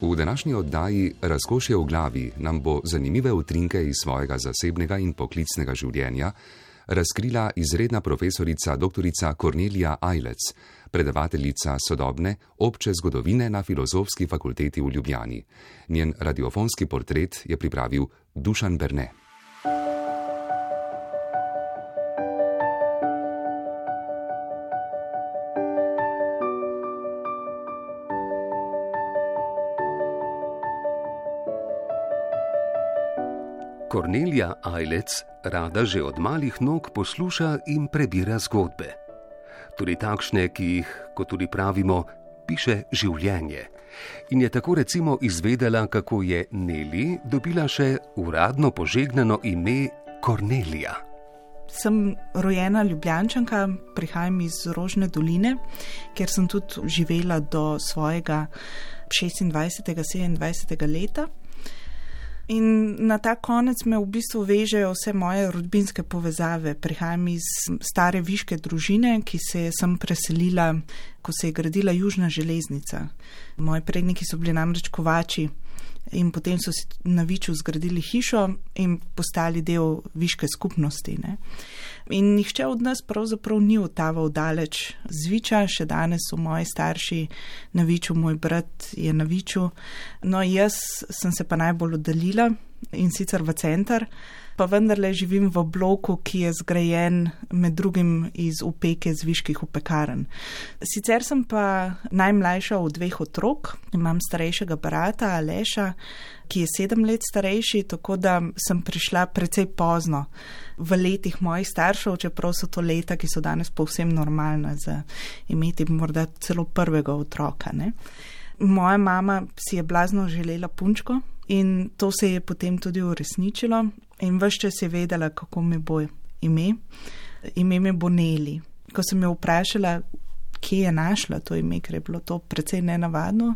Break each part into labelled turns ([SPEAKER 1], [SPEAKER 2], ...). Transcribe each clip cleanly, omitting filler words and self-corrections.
[SPEAKER 1] V današnji oddaji Razkošje v glavi nam bo zanimive utrinke iz svojega zasebnega in poklicnega življenja razkrila izredna profesorica dr. Kornelija Ajlec, predavateljica sodobne obče zgodovine na Filozofski fakulteti v Ljubljani. Njen radiofonski portret je pripravil Dušan Berne.
[SPEAKER 2] Kornelija Ajlec rada že od malih nog posluša in prebira zgodbe. Tudi takšne, ki jih, kot tudi pravimo, piše življenje. In je tako recimo izvedela, kako je Neli dobila še uradno požegnano ime Kornelija.
[SPEAKER 3] Sem rojena Ljubljančanka, prihajam iz Rožne doline, kjer sem tudi živela do svojega 26. 27. leta. In na ta konec me v bistvu vežejo vse moje rodbinske povezave. Prihajam iz stare viške družine, ki se je sem preselila, ko se je gradila južna železnica. Moji predniki so bili namreč kovači in potem so si na Viču zgradili hišo in postali del viške skupnosti, ne. In nihče od nas pravzaprav ni otaval daleč z Viča, še danes so moji starši na Viču, moj brat je na Viču. No, jaz sem se pa najbolj oddaljila in sicer v center, pa vendarle živim v bloku, ki je zgrajen med drugim iz opeke z viških opekaren. Sicer sem pa najmlajša od 2 otrok, imam starejšega brata Aleša, ki je 7 let starejši, tako da sem prišla precej pozno v letih mojih staršev, čeprav so to leta, ki so danes povsem normalna za imeti morda celo prvega otroka, ne. Moja mama si je blazno želela punčko in to se je potem tudi uresničilo in ves čas je vedela, kako mi bo ime. Ime mi bo Neli. Ko sem jo vprašala, kje je našla to ime, ker je bilo to precej nenavadno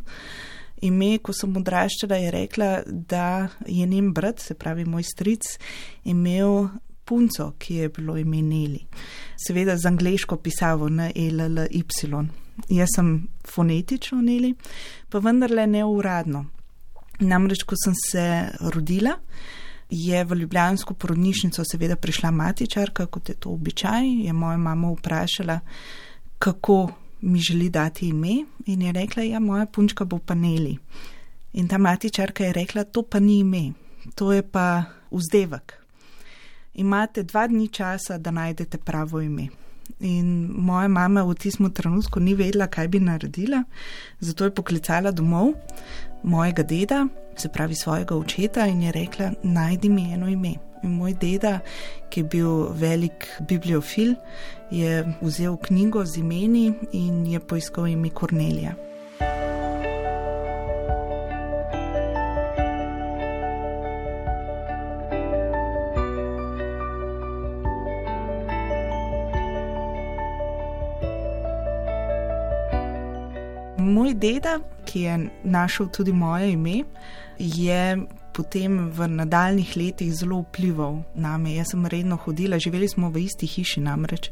[SPEAKER 3] ime, ko sem odraščala, je rekla, da je njen brat, se pravi moj stric, imel punco, ki je bilo ime Neli. Seveda z angleško pisavo N-E-L-L-Y. Jaz sem fonetično Neli, pa vendarle ne uradno. Namreč, ko sem se rodila, je v ljubljansko porodnišnico seveda prišla matičarka, kot je to običaj, je moja mama vprašala, kako mi želi dati ime in je rekla, ja, moja punčka bo pa Neli. In ta matičarka je rekla, to pa ni ime, to je pa vzdevek. Imate 2 dni časa, da najdete pravo ime. In moja mama v tistem trenutku ni vedela, kaj bi naredila, zato je poklicala domov mojega deda, se pravi svojega očeta, in je rekla, najdi mi eno ime. In moj deda, ki je bil velik bibliofil, je vzel knjigo z imeni in je poiskal ime Kornelija. Moj deda, ki je našel tudi moje ime, je potem v nadaljnih letih zelo vplival name. Jaz sem redno hodila, živeli smo v isti hiši namreč,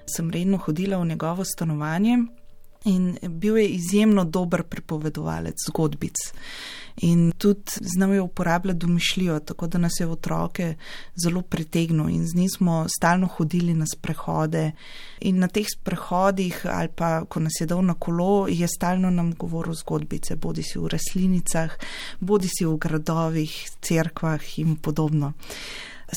[SPEAKER 3] sem redno hodila v njegovo stanovanje in bil je izjemno dober pripovedovalec zgodbic. In tudi znal je uporabljati domišljijo, tako da nas je otroke zelo pritegnil in z njim smo stalno hodili na sprehode. In na teh sprehodih ali pa, ko nas je dal na kolo, je stalno nam govoril zgodbice, bodi si v rastlinicah, bodi si v gradovih, cerkvah in podobno.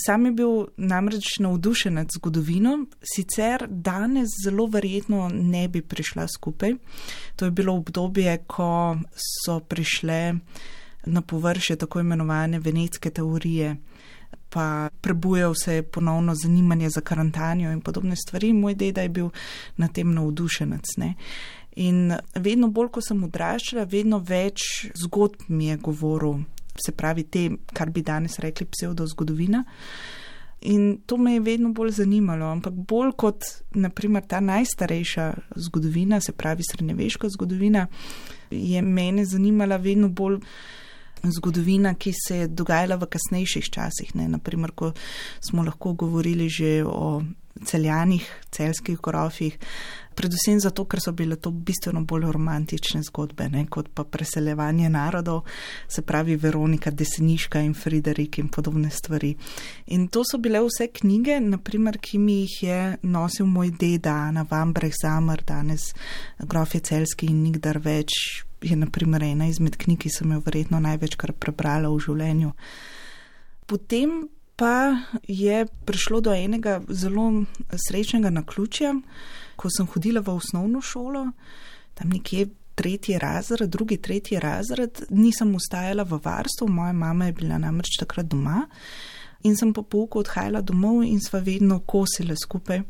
[SPEAKER 3] Sam je bil namreč navdušen nad zgodovino, sicer danes zelo verjetno ne bi prišla skupaj. To je bilo obdobje, ko so prišle na površje tako imenovane venetske teorije, pa prebujal se je ponovno zanimanje za Karantanjo in podobne stvari. Moj deda je bil na tem navdušenec, ne. In vedno bolj, ko sem odraščala, vedno več zgodb mi je govoril, se pravi te, kar bi danes rekli psevdozgodovina. In to me je vedno bolj zanimalo, ampak bolj kot naprimer ta najstarejša zgodovina, se pravi srednjeveška zgodovina, je mene zanimala vedno bolj zgodovina, ki se je dogajala v kasnejših časih, ne, naprimer, ko smo lahko govorili že o Celjanih, celjskih grofih, Predvsem zato, ker so bile to bistveno bolj romantične zgodbe, ne, kot pa preseljevanje narodov, se pravi Veronika Deseniška in Friderik in podobne stvari. In to so bile vse knjige, naprimer, ki mi jih je nosil moj deda, Ana Vambrecht-Zamer, danes Grofje Celjski in nikdar več, je naprimer ena izmed knjig, ki sem jo verjetno največkrat prebrala v življenju. Potem pa je prišlo do enega zelo srečnega naključja, ko sem hodila v osnovno šolo, tam nekje drugi, tretji razred, nisem ostajala v varstvu, moja mama je bila namreč takrat doma in sem po pouku odhajala domov in sva vedno kosile skupaj.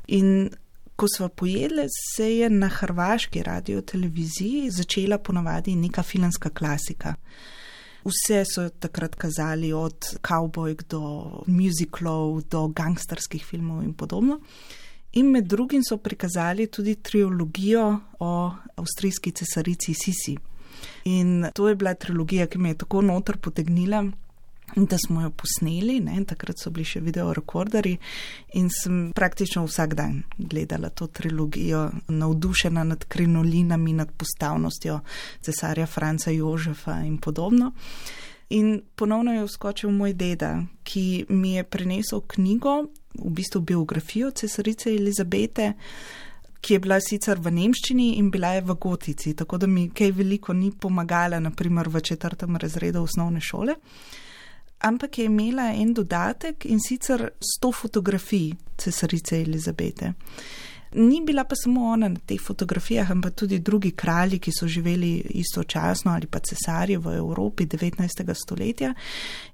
[SPEAKER 3] In ko sva pojedle, se je na hrvaški radioteleviziji začela ponavadi neka filmska klasika. Vse so takrat kazali od kavbojk do musicalov, do gangsterskih filmov in podobno. In med drugim so prikazali tudi trilogijo o avstrijski cesarici Sisi. In to je bila trilogija, ki me je tako noter potegnila, da smo jo posneli, ne, takrat so bili še videorekorderji in sem praktično vsak dan gledala to trilogijo, navdušena nad krinolinami, nad postavnostjo cesarja Franca Jožefa in podobno. In ponovno je vskočil moj deda, ki mi je prinesel knjigo, v bistvu biografijo cesarice Elizabete, ki je bila sicer v nemščini in bila je v gotici, tako da mi kaj veliko ni pomagala, naprimer v 4. razredu osnovne šole. Ampak je imela en dodatek in sicer 100 fotografij cesarice Elizabete. Ni bila pa samo ona na teh fotografijah, ampak tudi drugi kralji, ki so živeli istočasno ali pa cesarji v Evropi 19. stoletja.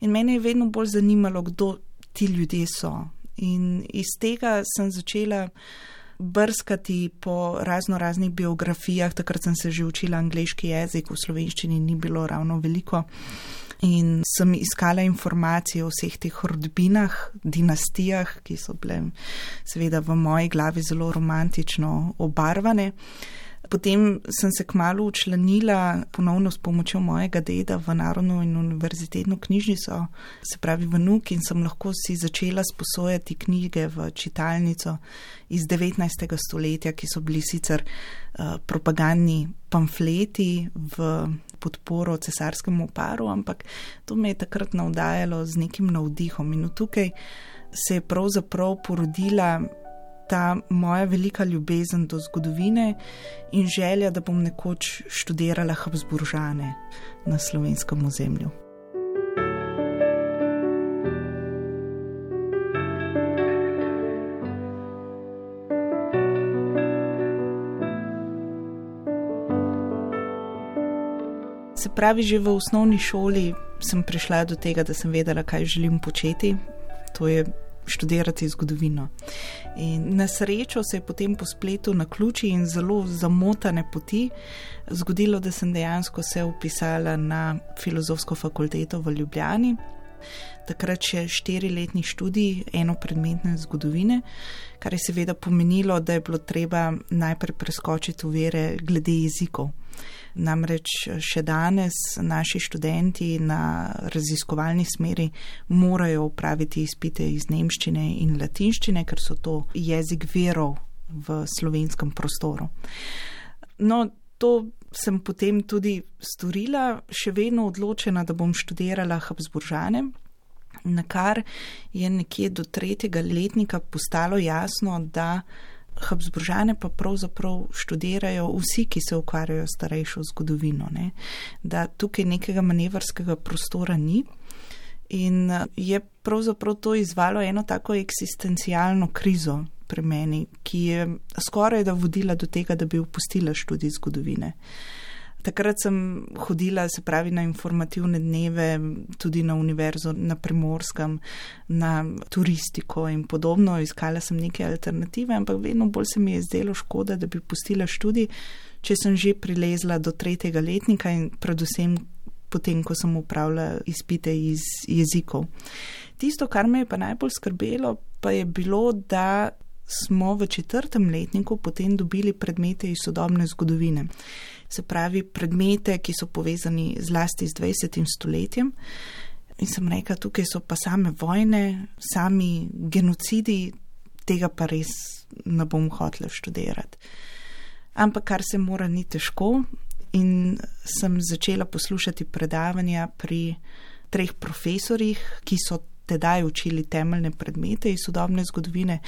[SPEAKER 3] In mene je vedno bolj zanimalo, kdo ti ljudje so. In iz tega sem začela brskati po raznih biografijah, takrat sem se že učila angleški jezik, v slovenščini ni bilo ravno veliko. In sem iskala informacije o vseh teh rodbinah, dinastijah, ki so bile seveda v moji glavi zelo romantično obarvane. Potem sem se kmalu učlanila ponovno s pomočjo mojega deda v Narodno in univerzitetno knjižnico, se pravi v NUK, in sem lahko si začela sposojati knjige v čitalnico iz 19. stoletja, ki so bili sicer propagandni pamfleti v podporo cesarskemu paru, ampak to me je takrat navdajalo z nekim navdihom. In tukaj se je pravzaprav porodila ta moja velika ljubezen do zgodovine in želja, da bom nekoč študirala Habsburžane na slovenskem ozemlju. Se pravi, že v osnovni šoli sem prišla do tega, da sem vedela, kaj želim početi. To je študirati zgodovino. In na srečo se je potem po spletu naključij in zelo zamotane poti zgodilo, da sem dejansko se vpisala na Filozofsko fakulteto v Ljubljani. Takrat še 4-letni študij enopredmetne zgodovine, kar je seveda pomenilo, da je bilo treba najprej preskočiti ovire glede jezikov. Namreč še danes naši študenti na raziskovalni smeri morajo opraviti izpite iz nemščine in latinščine, ker so to jezik virov v slovenskem prostoru. No, to sem potem tudi storila, še vedno odločena, da bom študirala Habsburžane, na kar je nekje do 3. letnika postalo jasno, da Habsburžane pa pravzaprav študirajo vsi, ki se ukvarjajo s starejšo zgodovino, ne? Da tukaj nekega manevrskega prostora ni in je pravzaprav to izvalo eno tako eksistencialno krizo pri meni, ki je skoraj da vodila do tega, da bi opustila študij zgodovine. Takrat sem hodila, se pravi, na informativne dneve, tudi na univerzo na Primorskem, na turistiko in podobno. Iskala sem neke alternative, ampak vedno bolj se mi je zdelo škoda, da bi pustila študij, če sem že prilezla do 3. letnika in predvsem potem, ko sem opravila izpite iz jezikov. Tisto, kar me je pa najbolj skrbelo, pa je bilo, da smo v 4. letniku potem dobili predmete iz sodobne zgodovine. Se pravi, predmete, ki so povezani zlasti z 20. stoletjem. In sem rekla, tukaj so pa same vojne, sami genocidi, tega pa res ne bom hotela študirati. Ampak kar se mora, ni težko in sem začela poslušati predavanja pri 3 profesorjih, ki so tedaj učili temeljne predmete iz sodobne zgodovine.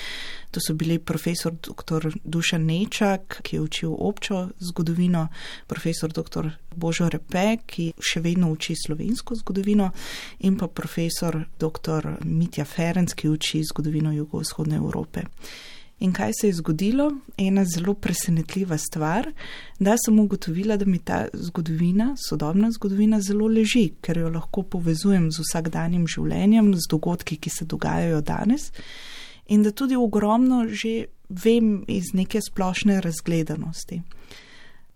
[SPEAKER 3] To so bili profesor dr. Dušan Nečak, ki je učil občo zgodovino, profesor dr. Božo Repe, ki še vedno uči slovensko zgodovino, in pa profesor dr. Mitja Ferenc, ki uči zgodovino jugovzhodne Evrope. In kaj se je zgodilo? Ena zelo presenetljiva stvar, da sem ugotovila, da mi ta zgodovina, sodobna zgodovina, zelo leži, ker jo lahko povezujem z vsakdanjim življenjem, z dogodki, ki se dogajajo danes, in da tudi ogromno že vem iz neke splošne razgledanosti.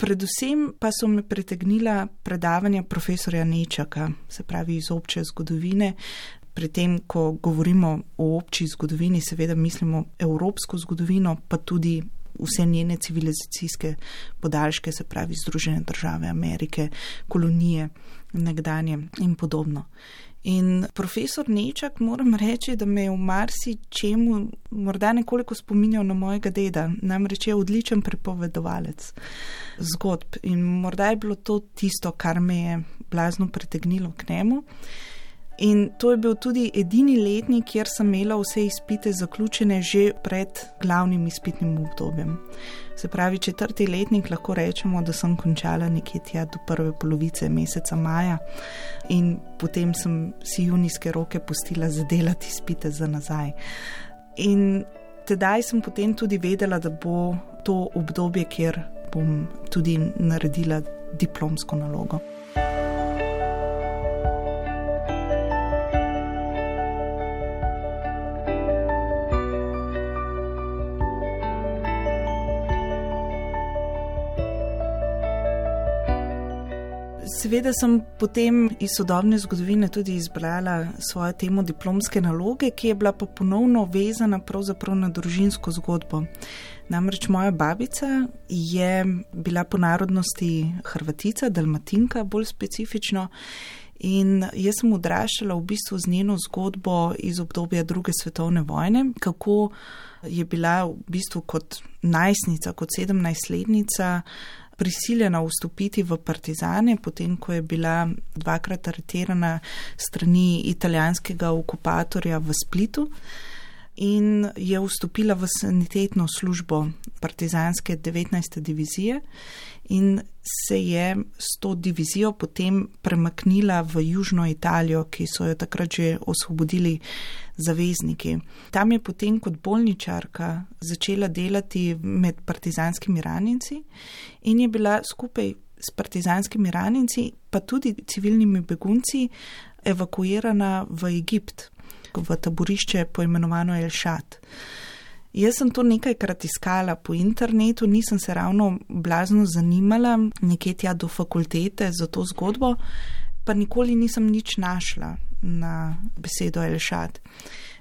[SPEAKER 3] Predvsem pa so me pritegnila predavanja profesorja Nečaka, se pravi iz obče zgodovine. Pri tem, ko govorimo o obči zgodovini, seveda mislimo evropsko zgodovino, pa tudi vse njene civilizacijske podaljške, se pravi Združene države Amerike, kolonije nekdanje in podobno. In profesor Nečak, moram reči, da me je v marsičemu morda nekoliko spominjal na mojega deda, namreč je odličen pripovedovalec zgodb in morda je bilo to tisto, kar me je blazno pritegnilo k njemu. In to je bil tudi edini letnik, kjer sem imela vse izpite zaključene že pred glavnim izpitnim obdobjem. Se pravi, 4. letnik lahko rečemo, da sem končala nekje tja do prve polovice meseca maja in potem sem si junijske roke pustila zadelati izpite za nazaj. In tedaj sem potem tudi vedela, da bo to obdobje, kjer bom tudi naredila diplomsko nalogo. Seveda sem potem iz sodobne zgodovine tudi izbrala svojo temo diplomske naloge, ki je bila pa ponovno vezana pravzaprav na družinsko zgodbo. Namreč moja babica je bila po narodnosti Hrvatica, Dalmatinka bolj specifično, in jaz sem odraščala v bistvu z njeno zgodbo iz obdobja 2. svetovne vojne, kako je bila v bistvu kot najstnica, kot 17-letnica prisiljena vstopiti v partizane, potem ko je bila 2-krat aretirana strani italijanskega okupatorja v Splitu in je vstopila v sanitetno službo partizanske 19. divizije in se je s to divizijo potem premaknila v južno Italijo, ki so jo takrat že osvobodili zavezniki. Tam je potem kot bolničarka začela delati med partizanskimi ranjenci in je bila skupaj s partizanskimi ranjenci, pa tudi civilnimi begunci, evakuirana v Egipt, v taborišče poimenovano El Šat. Jaz sem to nekajkrat iskala po internetu, nisem se ravno blazno zanimala nekje tja do fakultete za to zgodbo, pa nikoli nisem nič našla na besedo El Šat.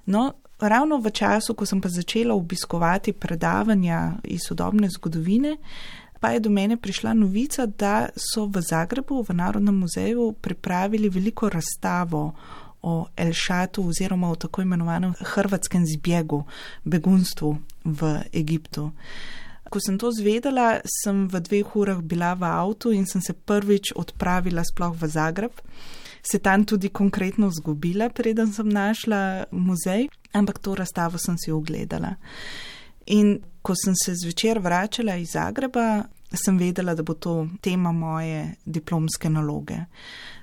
[SPEAKER 3] No, ravno v času, ko sem pa začela obiskovati predavanja iz sodobne zgodovine, pa je do mene prišla novica, da so v Zagrebu, v Narodnem muzeju, pripravili veliko razstavo o El Šatu oziroma o tako imenovanem hrvatskem zbjegu, begunstvu v Egiptu. Ko sem to zvedela, sem v 2 urah bila v avtu in sem se prvič odpravila sploh v Zagreb. Se tam tudi konkretno zgubila, preden sem našla muzej, ampak to razstavo sem si ogledala. In ko sem se zvečer vračala iz Zagreba, sem vedela, da bo to tema moje diplomske naloge.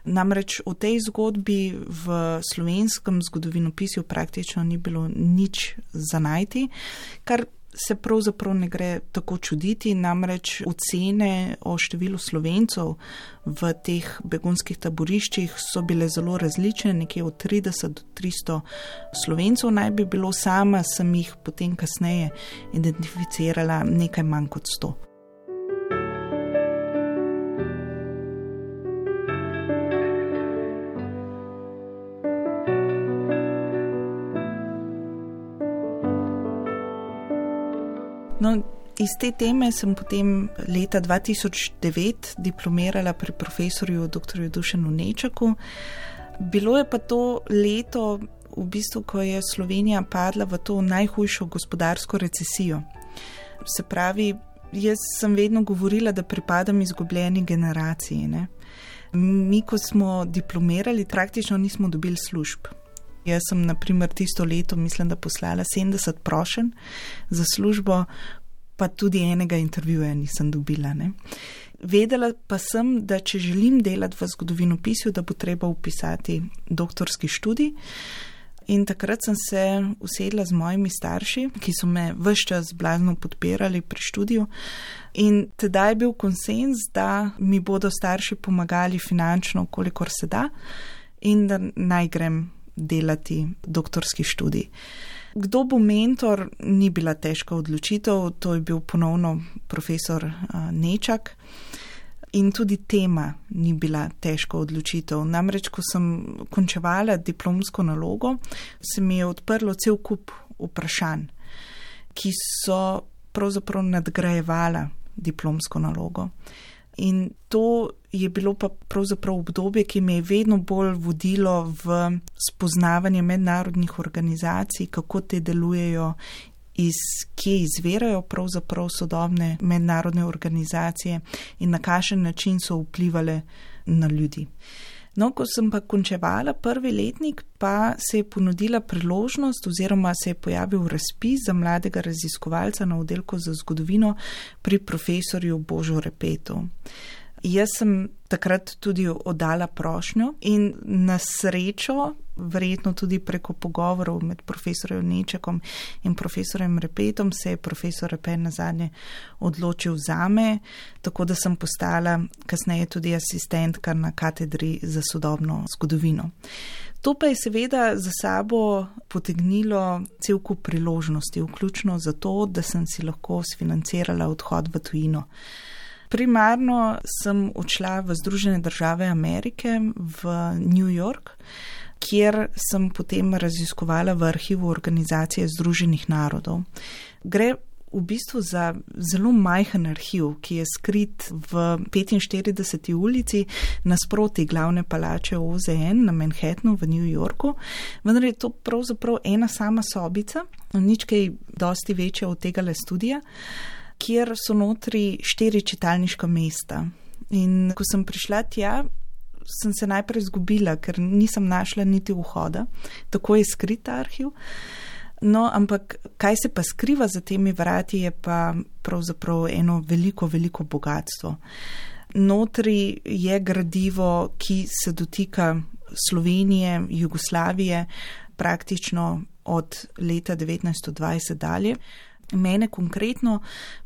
[SPEAKER 3] Namreč v tej zgodbi v slovenskem zgodovinopisju praktično ni bilo nič za najti, kar se pravzaprav ne gre tako čuditi, namreč ocene o številu Slovencev v teh begunskih taboriščih so bile zelo različne, nekje od 30 do 300 Slovencev naj bi bilo, sama sem jih potem kasneje identificirala nekaj manj kot 100. No, iz te teme sem potem leta 2009 diplomirala pri profesorju dr. Dušanu Nečaku. Bilo je pa to leto v bistvu, ko je Slovenija padla v to najhujšo gospodarsko recesijo. Se pravi, jaz sem vedno govorila, da pripadam izgubljeni generaciji, ne. Mi, ko smo diplomirali, praktično nismo dobili služb. Jaz sem, na primer, tisto leto, mislim, da poslala 70 prošenj za službo, pa tudi enega intervjuja nisem dobila, ne. Vedela pa sem, da če želim delati v zgodovinopisju, da bo treba vpisati doktorski študij. In takrat sem se usedla z mojimi starši, ki so me ves čas blazno podpirali pri študiju. In tedaj je bil konsenz, da mi bodo starši pomagali finančno, kolikor se da, in da naj grem delati doktorski študij. Kdo bo mentor, ni bila težka odločitev, to je bil ponovno profesor Nečak. In tudi tema ni bila težka odločitev. Namreč, ko sem končevala diplomsko nalogo, se mi je odprlo cel kup vprašanj, ki so pravzaprav nadgrajevala diplomsko nalogo. In to je bilo pa pravzaprav obdobje, ki me je vedno bolj vodilo v spoznavanje mednarodnih organizacij, kako te delujejo, iz kje izvirajo pravzaprav sodobne mednarodne organizacije in na kakšen način so vplivale na ljudi. No, ko sem pa končevala prvi letnik, pa se je ponudila priložnost oziroma se je pojavil razpis za mladega raziskovalca na oddelku za zgodovino pri profesorju Božu Repetu. Jaz sem takrat tudi oddala prošnjo in na srečo, verjetno tudi preko pogovorov med profesorjem Nečakom in profesorjem Repetom, se je profesor Repet nazadnje odločil zame, tako da sem postala kasneje tudi asistentka na katedri za sodobno zgodovino. To pa je seveda za sabo potegnilo cel kup priložnosti, vključno zato, da sem si lahko sfinancirala odhod v tujino. Primarno sem odšla v Združene države Amerike, v New York, kjer sem potem raziskovala v arhivu Organizacije Združenih narodov. Gre v bistvu za zelo majhen arhiv, ki je skrit v 45. ulici nasproti glavne palače OZN na Manhattnu v New Yorku, vendar je to pravzaprav ena sama sobica, nič kaj dosti večja od tegale studija, kjer so notri 4 čitalniška mesta. In ko sem prišla tja, sem se najprej izgubila, ker nisem našla niti vhoda, tako je skrit ta arhiv. No, ampak kaj se pa skriva za temi vrati, je pa pravzaprav eno veliko, veliko bogatstvo. Notri je gradivo, ki se dotika Slovenije, Jugoslavije, praktično od leta 1920 dalje. Mene konkretno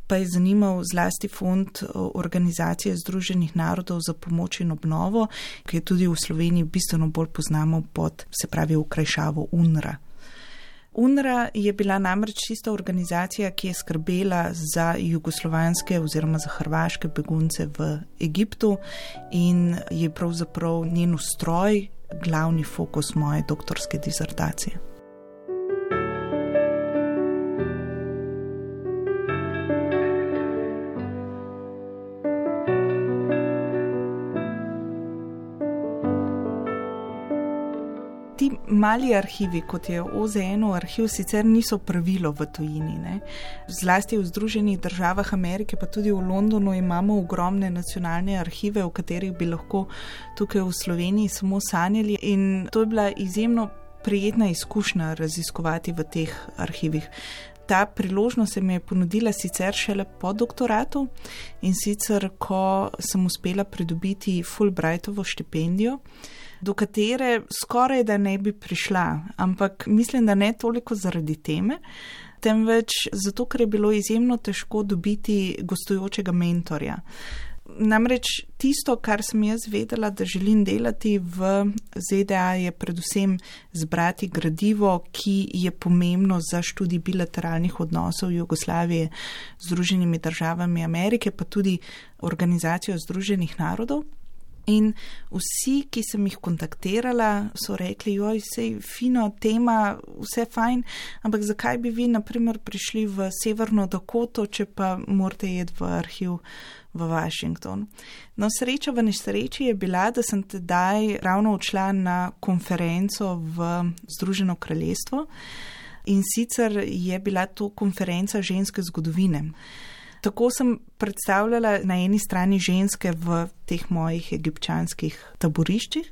[SPEAKER 3] pa je zanimal zlasti fond Organizacije Združenih narodov za pomoč in obnovo, ki je tudi v Sloveniji bistveno bolj poznamo pod, se pravi, okrajšavo UNRWA. UNRWA je bila namreč tista organizacija, ki je skrbela za jugoslovanske oziroma za hrvaške begunce v Egiptu in je pravzaprav njen ustroj glavni fokus moje doktorske disertacije. Ti mali arhivi, kot je OZN-ov arhiv, sicer niso pravilo v tujini, ne. Zlasti v Združenih državah Amerike, pa tudi v Londonu imamo ogromne nacionalne arhive, v katerih bi lahko tukaj v Sloveniji samo sanjali, in to je bila izjemno prijetna izkušnja raziskovati v teh arhivih. Ta priložnost se mi je ponudila sicer šele po doktoratu, in sicer, ko sem uspela pridobiti Fulbrightovo štipendijo, do katere skoraj da ne bi prišla, ampak mislim, da ne toliko zaradi teme, temveč zato, ker je bilo izjemno težko dobiti gostujočega mentorja. Namreč tisto, kar sem jaz vedela, da želim delati v ZDA, je predvsem zbrati gradivo, ki je pomembno za študij bilateralnih odnosov Jugoslavije z Združenimi državami Amerike, pa tudi Organizacijo Združenih narodov. In vsi, ki sem jih kontaktirala, so rekli, joj, sej fino tema, vse fajn, ampak zakaj bi vi, naprimer, prišli v Severno Dakoto, če pa morate jeti v arhiv v Washington. No, sreča v nesreči je bila, da sem tedaj ravno odšla na konferenco v Združeno kraljestvo in sicer je bila to konferenca ženske zgodovine. Tako sem predstavljala na eni strani ženske v teh mojih egipčanskih taboriščih,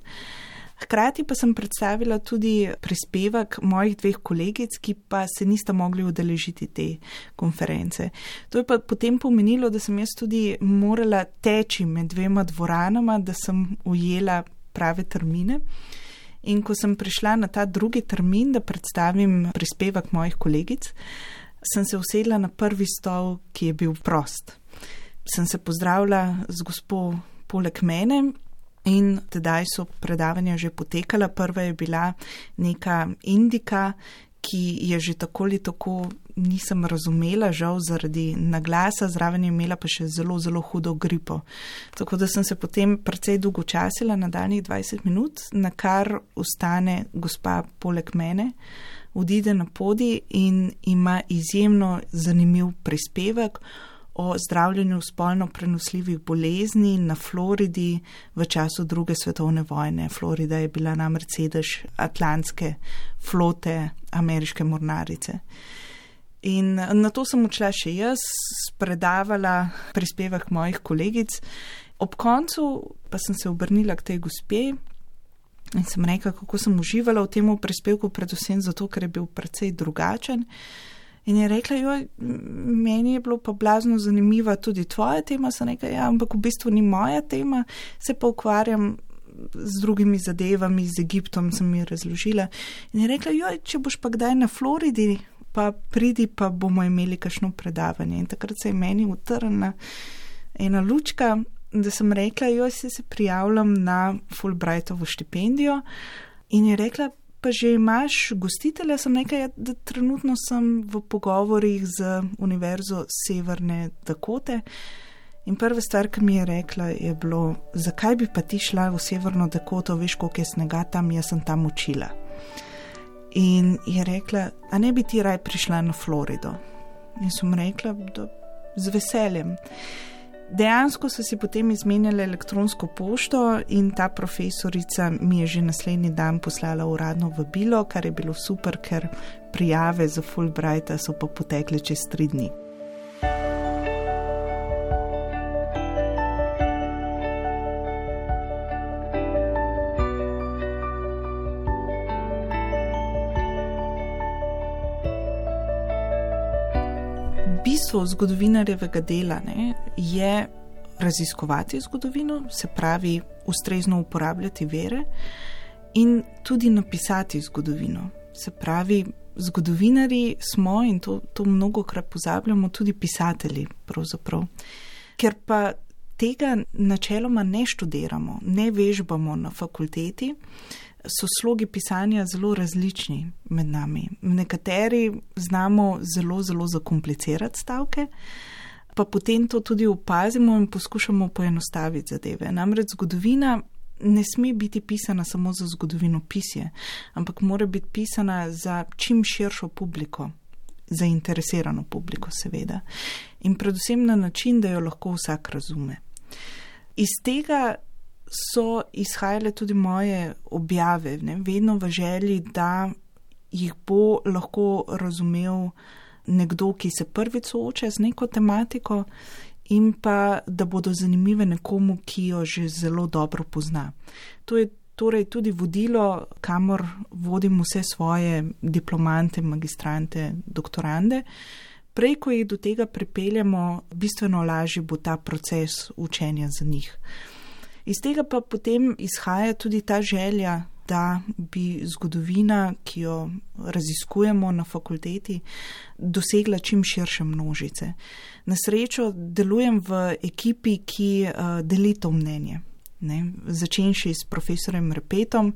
[SPEAKER 3] hkrati pa sem predstavila tudi prispevek mojih 2 kolegic, ki pa se nista mogli udeležiti te konference. To je pa potem pomenilo, da sem jaz tudi morala teči med 2 dvoranama, da sem ujela prave termine. In ko sem prišla na ta drugi termin, da predstavim prispevek mojih kolegic, sem se usedla na prvi stol, ki je bil prost. Sem se pozdravila z gospo poleg mene in tedaj so predavanja že potekala. Prva je bila neka Indika, ki je že tako ali tako nisem razumela, žal zaradi naglasa, zraven je imela pa še zelo, zelo hudo gripo. Tako da sem se potem precej dolgočasila na daljnih 20 minut, na kar ustane gospa poleg mene, odide na podij in ima izjemno zanimiv prispevek o zdravljenju spolno prenosljivih bolezni na Floridi v času 2. svetovne vojne. Florida je bila namreč sedež atlantske flote ameriške mornarice. In na to sem odšla še jaz, predavala prispevek mojih kolegic. Ob koncu pa sem se obrnila k tej gospe in sem rekla, kako sem uživala v tem prispevku, predvsem zato, ker je bil precej drugačen. In je rekla, joj, meni je bilo pa blazno zanimiva tudi tvoja tema. Sem rekla, ja, ampak v bistvu ni moja tema, se pa ukvarjam z drugimi zadevami, z Egiptom, sem mi razložila. In je rekla, joj, če boš pa kdaj na Floridi, pa pridi, pa bomo imeli kakšno predavanje. In takrat se je meni utrnila ena lučka, da sem rekla, joj, se prijavljam na Fulbrightovo štipendijo. In je rekla, pa že imaš gostitelja? Sem rekla, da trenutno sem v pogovorih z Univerzo Severne Dakote. In prva stvar, ki mi je rekla, je bilo, zakaj bi pa ti šla v Severno Dakoto, veš, koliko je snega tam, jaz sem tam učila. In je rekla, a ne bi ti raj prišla na Florido? In sem rekla, da z veseljem. Dejansko so si potem izmenjali elektronsko pošto in ta profesorica mi je že naslednji dan poslala uradno vabilo, kar je bilo super, ker prijave za Fulbrighta so pa potekle čez 3 dni. Bistvo zgodovinarjevega dela je raziskovati zgodovino, se pravi ustrezno uporabljati vire in tudi napisati zgodovino. Se pravi, zgodovinarji smo, in to mnogokrat pozabljamo, tudi pisatelji pravzaprav. Ker pa tega načeloma ne študiramo, ne vežbamo na fakulteti, so slogi pisanja zelo različni med nami. Nekateri znamo zelo, zelo zakomplicirati stavke, pa potem to tudi opazimo in poskušamo poenostaviti zadeve. Namreč zgodovina ne sme biti pisana samo za zgodovinopisje, ampak mora biti pisana za čim širšo publiko, zainteresirano publiko seveda. In predvsem na način, da jo lahko vsak razume. Iz tega so izhajale tudi moje objave, vedno v želji, da jih bo lahko razumel nekdo, ki se prvič sooča z neko tematiko in pa, da bodo zanimive nekomu, ki jo že zelo dobro pozna. To je torej tudi vodilo, kamor vodim vse svoje diplomante, magistrante, doktorande. Prej, ko jih do tega pripeljemo, bistveno lažji bo ta proces učenja za njih. Iz tega pa potem izhaja tudi ta želja, da bi zgodovina, ki jo raziskujemo na fakulteti, dosegla čim širše množice. Na srečo delujem v ekipi, ki deli to mnenje. Začenši s profesorjem Repetom,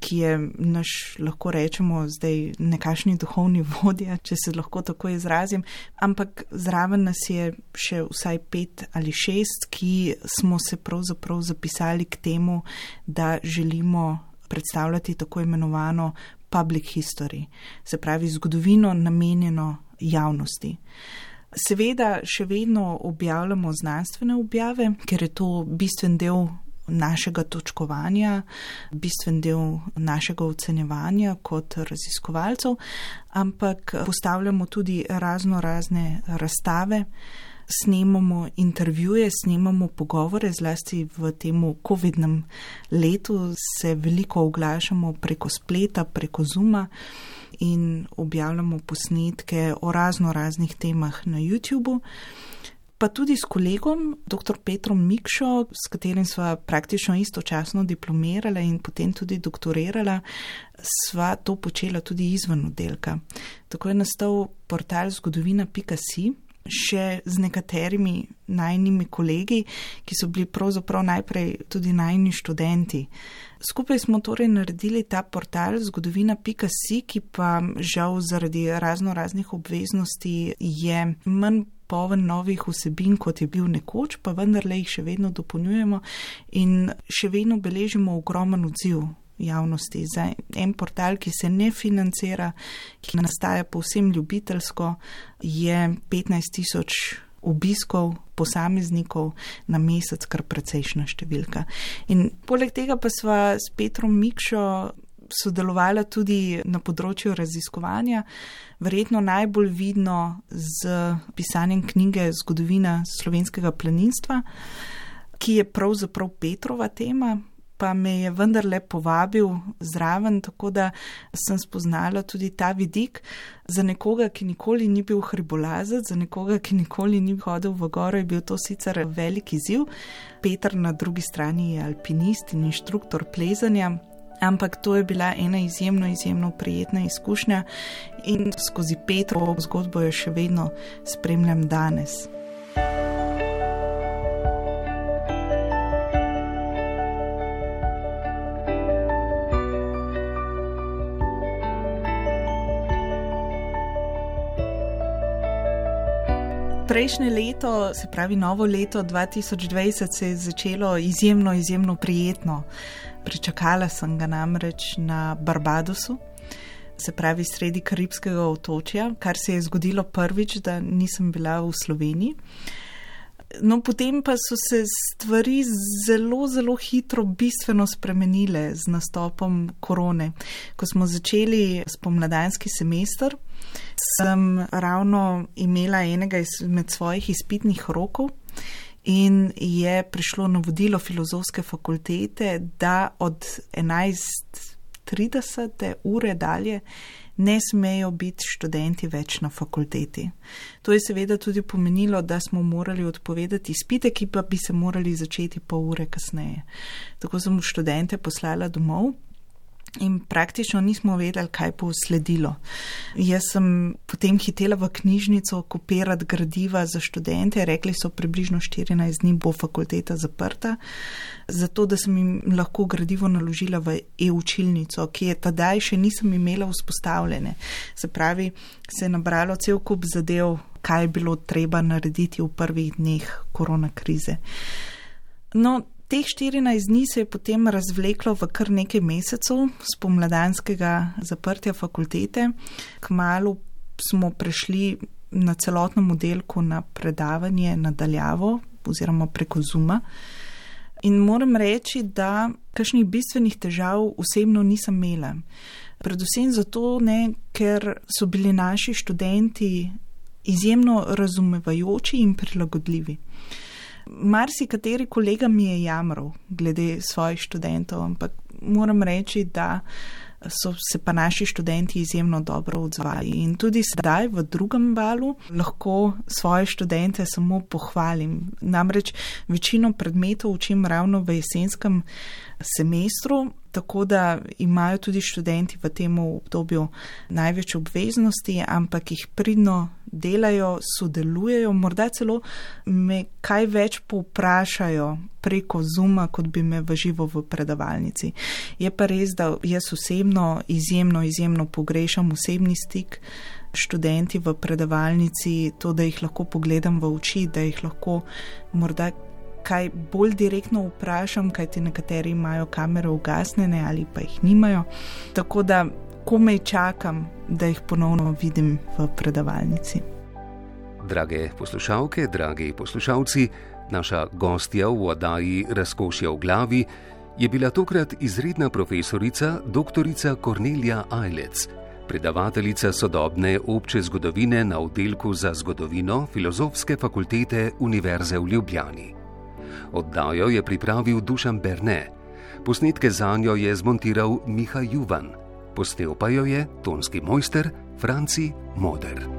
[SPEAKER 3] ki je naš, lahko rečemo, zdaj nekakšni duhovni vodja, če se lahko tako izrazim, ampak zraven nas je še vsaj 5 ali 6, ki smo se pravzaprav zapisali k temu, da želimo predstavljati tako imenovano public history, se pravi zgodovino namenjeno javnosti. Seveda še vedno objavljamo znanstvene objave, ker je to bistven del našega točkovanja, bistven del našega ocenjevanja kot raziskovalcev, ampak postavljamo tudi razne razstave, snemamo intervjuje, snemamo pogovore, zlasti v temu covidnem letu se veliko oglašamo preko spleta, preko Zooma in objavljamo posnetke o raznih temah na YouTubeu. Pa tudi s kolegom, dr. Petrom Mikšo, s katerim sva praktično istočasno diplomirala in potem tudi doktorirala, sva to počela tudi izven oddelka. Tako je nastal portal zgodovina.si, še z nekaterimi najnimi kolegi, ki so bili pravzaprav najprej tudi najni študenti. Skupaj smo torej naredili ta portal zgodovina.si, ki pa žal zaradi raznih obveznosti je manj poln novih vsebin, kot je bil nekoč, pa vendarle jih še vedno dopolnjujemo in še vedno beležimo ogromen odziv javnosti. Za en portal, ki se ne financira, ki nastaja povsem ljubiteljsko, je 15,000 obiskov posameznikov na mesec, kar precejšna številka. In poleg tega pa sva s Petrom Mikšo sodelovala tudi na področju raziskovanja, verjetno najbolj vidno z pisanjem knjige Zgodovina slovenskega planinstva, ki je pravzaprav Petrova tema, pa me je vendarle povabil zraven, tako da sem spoznala tudi ta vidik. Za nekoga, ki nikoli ni bil hribolazec, za nekoga, ki nikoli ni hodil v goro, je bil to sicer velik izziv. Peter na drugi strani je alpinist in inštruktor plezanja, ampak to je bila ena izjemno prijetna izkušnja in skozi Petrovo zgodbo jo še vedno spremljam danes. Prejšnje leto, se pravi novo leto 2020, se je začelo izjemno prijetno. Pričakala sem ga namreč na Barbadosu, se pravi sredi karibskega otočja, kar se je zgodilo prvič, da nisem bila v Sloveniji. No, potem pa so se stvari zelo hitro bistveno spremenile z nastopom korone. Ko smo začeli spomladanski semester, sem ravno imela enega izmed svojih izpitnih rokov in je prišlo navodilo Filozofske fakultete, da od 11:30 ure dalje ne smejo biti študenti več na fakulteti. To je seveda tudi pomenilo, da smo morali odpovedati izpite, ki pa bi se morali začeti pol ure kasneje. Tako sem študente poslala domov in praktično nismo vedeli, kaj bo sledilo. Jaz sem potem hitela v knjižnico kopirati gradiva za študente, rekli so približno 14 dni bo fakulteta zaprta, zato da sem jim lahko gradivo naložila v e-učilnico, ki je tedaj še nisem imela vzpostavljene. Se pravi, se je nabralo cel kup zadev, kaj je bilo treba narediti v prvih dneh korona krize. No, teh 14 dni se je potem razvleklo v kar nekaj mesecev spomladanskega zaprtja fakultete. Kmalu smo prešli na celotnem oddelku na predavanje nadaljavo oziroma preko Zooma. In moram reči, da kakšnih bistvenih težav osebno nisem imela. Predvsem zato ne, ker so bili naši študenti izjemno razumevajoči in prilagodljivi. Marsikateri kolega mi je jamral glede svojih študentov, ampak moram reči, da so se pa naši študenti izjemno dobro odzvali. In tudi sedaj v drugem valu lahko svoje študente samo pohvalim. Namreč večino predmetov učim ravno v jesenskem semestru, tako da imajo tudi študenti v tem obdobju največ obveznosti, ampak jih pridno delajo, sodelujejo, morda celo me kaj več povprašajo preko Zooma, kot bi me v živo v predavalnici. Je pa res, da jaz osebno izjemno pogrešam osebni stik študenti v predavalnici, to, da jih lahko pogledam v oči, da jih lahko morda kaj bolj direktno vprašam, kajti nekateri imajo kamere ugasnjene ali pa jih nimajo. Tako da komaj čakam, da jih ponovno vidim v predavalnici.
[SPEAKER 2] Drage poslušalke, dragi poslušalci, naša gostja v oddaji Razkošje v glavi je bila tokrat izredna profesorica doktorica Kornelija Ajlec, predavateljica sodobne obče zgodovine na oddelku za zgodovino Filozofske fakultete Univerze v Ljubljani. Oddajo je pripravil Dušan Berne, posnetke zanjo je zmontiral Miha Juvan, posnel pa jo je tonski mojster Franci Moder.